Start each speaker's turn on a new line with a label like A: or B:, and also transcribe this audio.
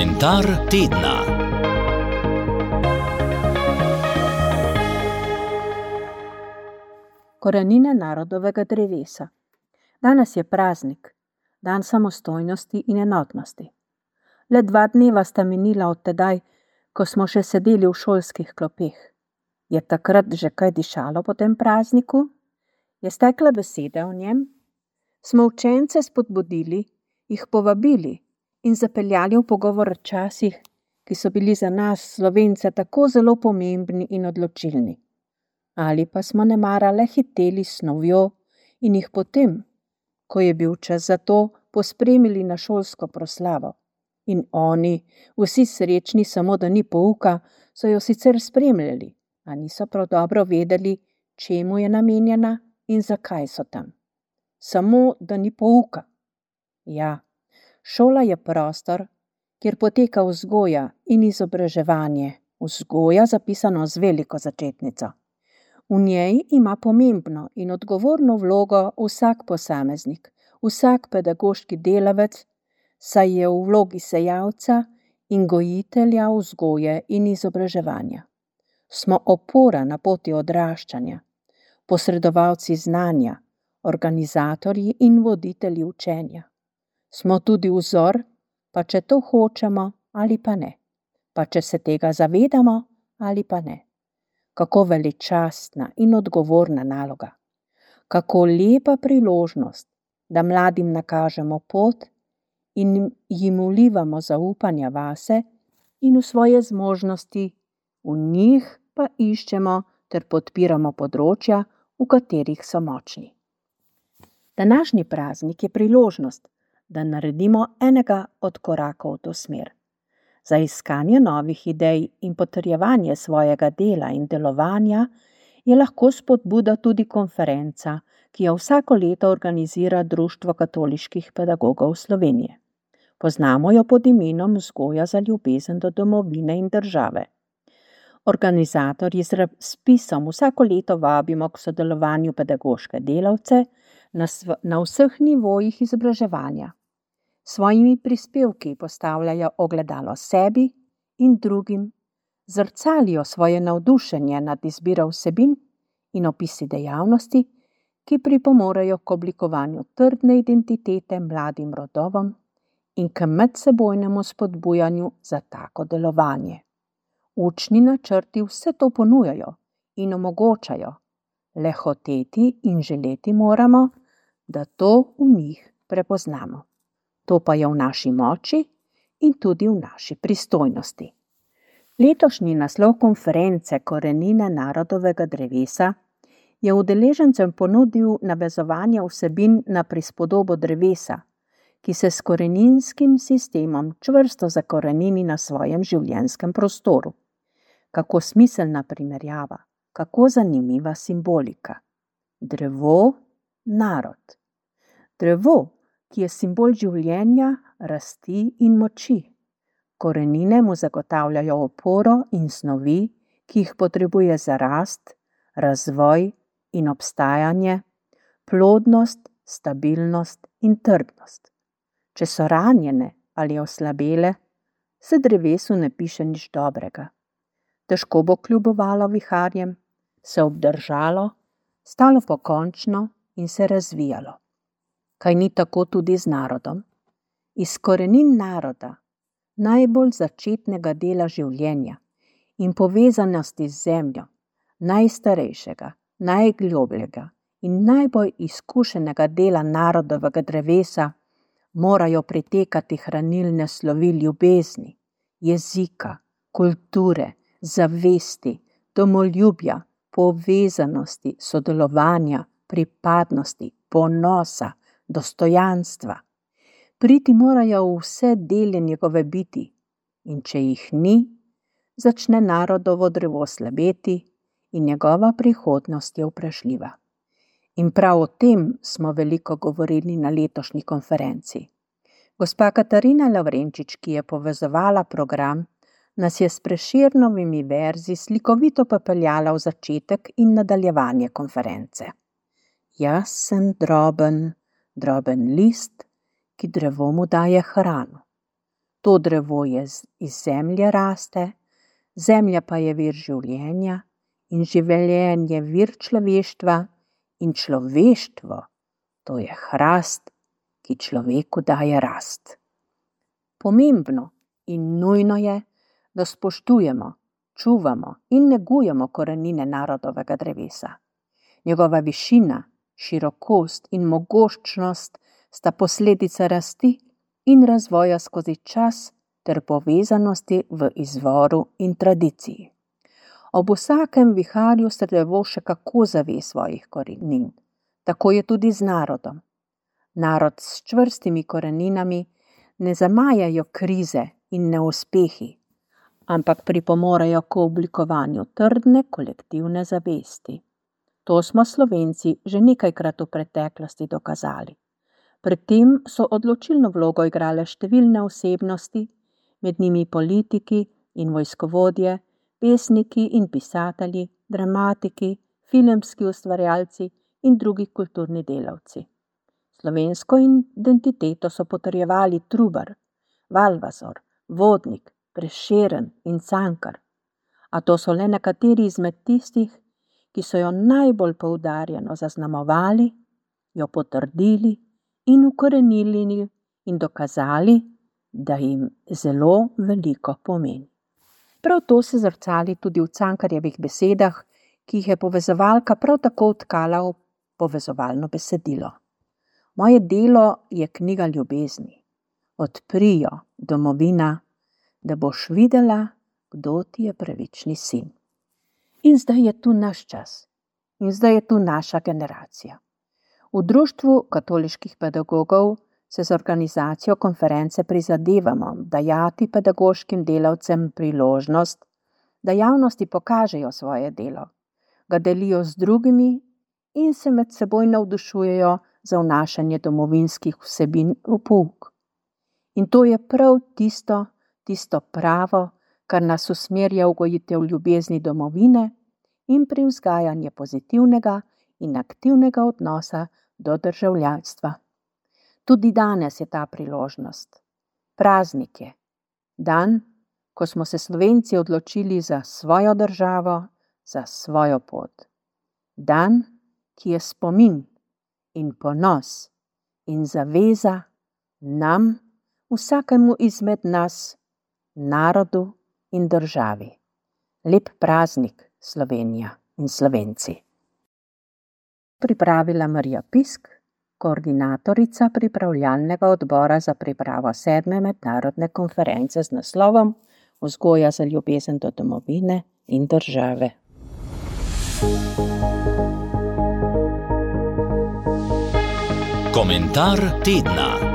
A: Komentar tedna.
B: Korenine narodovega drevesa. Danes je praznik, dan samostojnosti in enotnosti. Le 2 dneva sta minila od tedaj, ko smo še sedeli v šolskih klopeh. Je takrat že kaj dišalo po tem prazniku? Je stekla beseda o njem? Smo učence spodbudili, jih povabili in zapeljali v pogovor o časih, ki so bili za nas, Slovence, tako zelo pomembni in odločilni. Ali pa smo nemara le hiteli s snovjo in jih potem, ko je bil čas za to, pospremili na šolsko proslavo. In oni, vsi srečni samo, da ni pouka, so jo sicer spremljali, a niso prav dobro vedeli, čemu je namenjena in zakaj so tam. Samo, da ni pouka. Ja, šola je prostor, kjer poteka vzgoja in izobraževanje, vzgoja zapisano z veliko začetnico. V njej ima pomembno in odgovorno vlogo vsak posameznik, vsak pedagoški delavec, saj je v vlogi sejalca in gojitelja vzgoje in izobraževanja. Smo opora na poti odraščanja, posredovalci znanja, organizatorji in voditelji učenja. Smo tudi vzor, pa če to hočemo ali pa ne, pa če se tega zavedamo ali pa ne. Kako veličastna in odgovorna naloga. Kako lepa priložnost, da mladim nakažemo pot in jim vlivamo zaupanja vase in v svoje zmožnosti, v njih pa iščemo ter podpiramo področja, v katerih so močni. Današnji praznik je priložnost, da naredimo enega od korakov v to smer. Za iskanje novih idej in potrjevanje svojega dela in delovanja je lahko spodbuda tudi konferenca, ki jo vsako leto organizira Društvo katoliških pedagogov Slovenije. Poznamo jo pod imenom Vzgoja za ljubezen do domovine in države. Organizatorji z razpisom vsako leto vabimo k sodelovanju pedagoške delavce na vseh nivojih izobraževanja. Svojimi prispevki postavljajo ogledalo sebi in drugim, zrcalijo svoje navdušenje nad izbiro vsebin in opisi dejavnosti, ki pripomorejo k oblikovanju trdne identitete mladim rodovom in k medsebojnemu spodbujanju za tako delovanje. Učni načrti vse to ponujajo in omogočajo, le hoteti in želeti moramo, da to v njih prepoznamo. To pa je v naši moči in tudi v naši pristojnosti. Letošnji naslov konference Korenine narodovega drevesa je udeležencem ponudil navezovanje vsebin na prispodobo drevesa, ki se s koreninskim sistemom čvrsto zakorenini na svojem življenjskem prostoru. Kako smiselna primerjava, kako zanimiva simbolika. Drevo, narod. Drevo, ki je simbol življenja, rasti in moči. Korenine mu zagotavljajo oporo in snovi, ki jih potrebuje za rast, razvoj in obstajanje, plodnost, stabilnost in trdnost. Če so ranjene ali oslabele, se drevesu ne piše nič dobrega. Težko bo kljubovalo viharjem, se obdržalo, stalo pokončno in se razvijalo. Kaj ni tako tudi z narodom? Iz korenin naroda, najbolj začetnega dela življenja in povezanosti z zemljo, najstarejšega, najglobljega in najbolj izkušenega dela narodovega drevesa, morajo pritekati hranilne slovi ljubezni, jezika, kulture, zavesti, domoljubja, povezanosti, sodelovanja, pripadnosti, ponosa, dostojanstva. Priti morajo v vse dele njegove biti in če jih ni, začne narodovo drevo slabeti in njegova prihodnost je vprašljiva. In prav o tem smo veliko govorili na letošnji konferenci. Gospa Katarina Lavrenčič, ki je povezovala program, nas je s Prešernovimi verzi slikovito popeljala v začetek in nadaljevanje konference. Jaz sem droben list, ki drevo mu daje hrano. To drevo iz zemlje raste, zemlja pa je vir življenja in življenje vir človeštva in človeštvo, to je hrast, ki človeku daje rast. Pomembno in nujno je, da spoštujemo, čuvamo in negujemo korenine narodovega drevesa. Njegova višina, širokost in mogočnost sta posledica rasti in razvoja skozi čas ter povezanosti v izvoru in tradiciji. Ob vsakem viharju se drevo še kako zave svojih korenin. Tako je tudi z narodom. Narod s čvrstimi koreninami ne zamajajo krize in neuspehi, ampak pripomorejo k oblikovanju trdne kolektivne zavesti. To smo Slovenci že nekajkrat v preteklosti dokazali. Pri tem so odločilno vlogo igrale številne osebnosti, med njimi politiki in vojskovodje, pesniki in pisatelji, dramatiki, filmski ustvarjalci in drugi kulturni delavci. Slovensko identiteto so potrjevali Trubar, Valvazor, Vodnik, Prešeren in Cankar. A to so le nekateri izmed tistih, ki so jo najbolj poudarjeno zaznamovali, jo potrdili in ukorenili in dokazali, da jim zelo veliko pomeni. Prav to se zrcali tudi v Cankarjevih besedah, ki jih je povezovalka prav tako vtkala v povezovalno besedilo. Moje delo je knjiga ljubezni. Odpri jo, domovina, da boš videla, kdo ti je pravični sin. In zdaj je tu naš čas. In zdaj je tu naša generacija. V Društvu katoliških pedagogov se z organizacijo konference prizadevamo dajati pedagoškim delavcem priložnost, da javnosti pokažejo svoje delo, ga delijo z drugimi in se med seboj navdušujejo za vnašanje domovinskih vsebin v pouk. In to je prav tisto pravo, kar nas usmerja v gojitev ljubezni domovine in pri vzgajanju pozitivnega in aktivnega odnosa do državljanstva. Tudi danes je ta priložnost. Praznik je. Dan, ko smo se Slovenci odločili za svojo državo, za svojo pot. Dan, ki je spomin in ponos in zaveza nam, vsakemu izmed nas, narodu in državi. Lep praznik, Slovenija in Slovenci. Pripravila Marija Pisk, koordinatorica pripravljalnega odbora za pripravo 7. mednarodne konference z naslovom Vzgoja za ljubezen do domovine in države.
A: Komentar tedna.